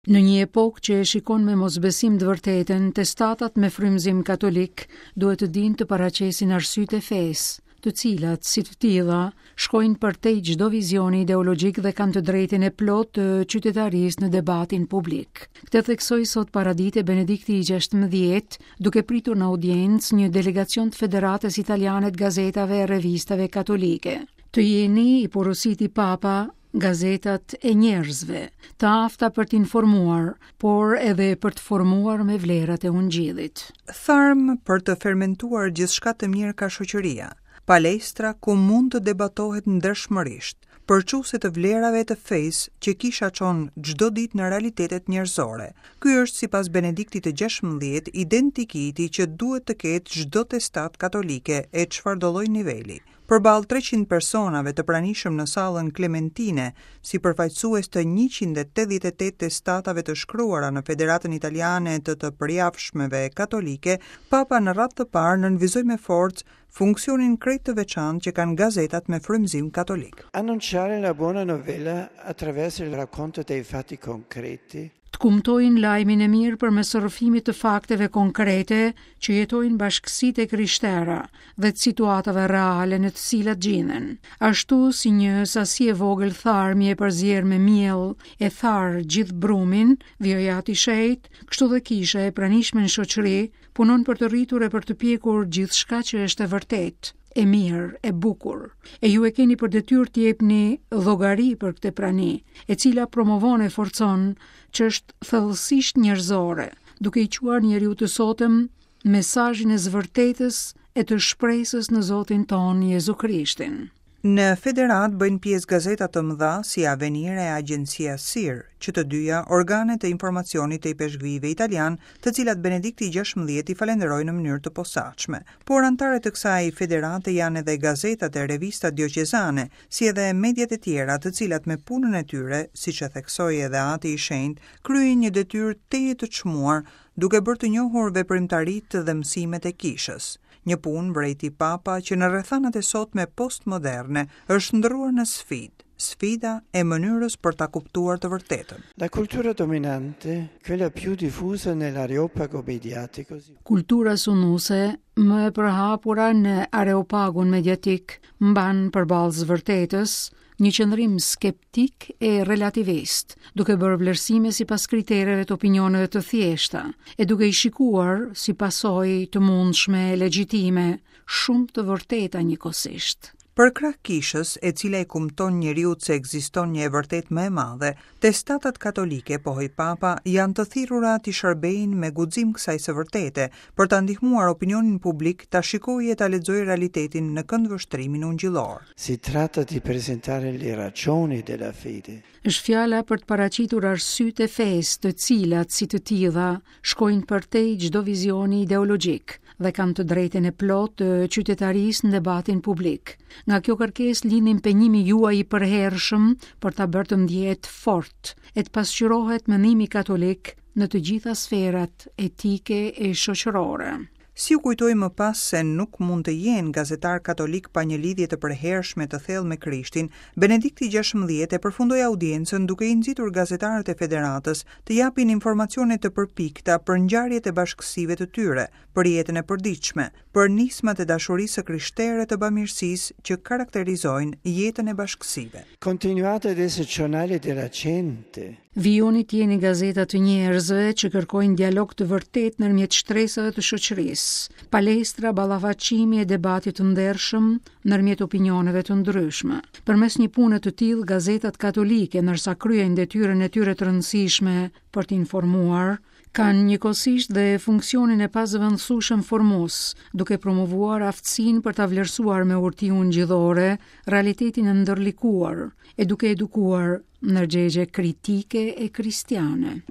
Në një epokë që e shikon me mosbesim të vërtetën, testatat me frymëzim katolik duhet të dinë të paraqesin arsyet e fesë, të cilat, si të tilla, shkojnë përtej çdo vizioni ideologjik dhe kanë të drejtën e plotë të qytetarisë në debatin publik. Këtë theksoi sot paradite Benedikti i 16, duke pritur në audiencë një delegacion të Federatës Italiane të Gazetave e Revistave Katolike. Të jeni, i porositi Papa, gazetat e njerëzve, të afta për të informuar, por edhe për të formuar me vlerat e ungjillit. Tharm për të fermentuar gjithçka të mirë ka shoqëria, palestra ku mund të debatohet ndershmërisht, përçuese të vlerave të fesë që kisha çon çdo ditë në realitetet njerëzore. Ky është sipas Benediktit të 16 identikiti që duhet të ketë çdo testatë katolike e çfarëdolloj niveli. Përballë 300 personave të pranishëm në sallën Klementine, si përfaqësues të 188 testatave të shkruara në Federatën Italiane të të Përjavshmeve Katolike, Papa në radhë të parë nënvizoi me forcë funksionin krejt të veçantë që kanë gazetat me frymëzim katolik. Annunciare la buona novella attraverso il racconto dei fatti concreti Të kumtojnë lajmin e mirë përmes rrëfimit të fakteve konkrete që jetojnë bashkësitë e krishtera dhe të situatave reale në të cilat gjinden. Ashtu si një sasi e vogël tharmi e përzier me miell e tharë gjithë brumin, vijoi Ati i Shenjtë, kështu dhe kisha e pranishme në shoqëri punon për të rritur e për të pjekur gjithçka që është e vërtetë, e mirë, e bukur. E ju e keni për detyrë të jepni llogari për këtë prani, e cila promovon e forcon ç'është thellësisht njerëzore, duke i çuar njeriut të sotëm mesazhin e së vërtetës e të shpresës në Zotin tonë Jezu Krishtin. Në federatë bëjnë pjesë gazeta të mëdha si Avvenire e Agenzia SIR, që të dyja organe të informacionit të ipeshkvijve italianë, të cilat Benedikti i 16 i falenderoi në mënyrë të posaçme. Por anëtare të kësaj federate janë edhe gazetat e revistat dioqezane, si edhe mediat e tjera, të cilat me punën e tyre, siç e theksoi edhe Ati i Shenjtë, kryejnë një detyrë tejet të çmuar, duke bërë të njohur veprimtaritë dhe mësimet e kishës. Një punë, vërejti Papa, që në rrethanat e sotme postmoderne është shndërruar në sfidë, sfida e mënyrës për ta kuptuar të vërtetën. La cultura dominante, quella più diffusa nell'areopago mediatico, Kultura sunduese, më e përhapura në areopagun mediatik, mban përballë së vërtetës një qëndrim skeptik e relativist, duke bërë vlerësime sipas kritereve të opinioneve të thjeshta, e duke i shikuar si pasojë të mundshme e legjitime, shumë të vërteta njëkohësisht. Përkrah kishës, e cila i kumton njeriut se ekziston një e vërtetë më e madhe, testatat katolike, pohoi Papa, janë të thirrura t'i shërbejnë me guxim kësaj së vërtete, për ta ndihmuar opinionin publik ta shikojë e ta lexojë realitetin në këndvështrimin ungjillor. Si tratta di presentare le ragioni della fede. Është fjala për të paraqitur arsyet e fesë, të cilat, si të tilla, shkojnë përtej çdo vizioni ideologjik dhe kanë të drejtën e plotë të qytetarisë në debatin publik. Nga kjo kërkesë lind impenjimi juaj i përhershëm për ta bërë të ndjehet fort e të pasqyrohet mendimi katolik në të gjitha sferat etike e shoqërore. Si u kujtoi më pas se nuk mund të jenë gazetarë katolikë pa një lidhje të përhershme të thellë me Krishtin, Benedikti 16 e përfundoi audiencën duke i nxitur gazetarët e Federatës të japin informacione të përpikta për ngjarjet e bashkësive të tyre, për jetën e përditshme, për nismat e dashurisë së krishtere të bamirësisë që karakterizojnë jetën e bashkësive. Continuate ad essere giornali della gente. Vijoni të jeni gazeta të njerëzve që kërkojnë dialog të vërtetë ndërmjet shtresave të shoqërisë, palestra ballafaqimi e debati të ndershëm ndërmjet opinioneve të ndryshme. Përmes një pune të tillë, gazetat katolike, ndërsa kryejnë detyrën e tyre të rëndësishme për të informuar, kanë njëkohësisht dhe funksionin e pazëvendësueshëm formues, duke promovuar aftësinë për ta vlerësuar me urti ungjillore realitetin e ndërlikuar e duke edukuar ndërgjegje kritike e kristiane.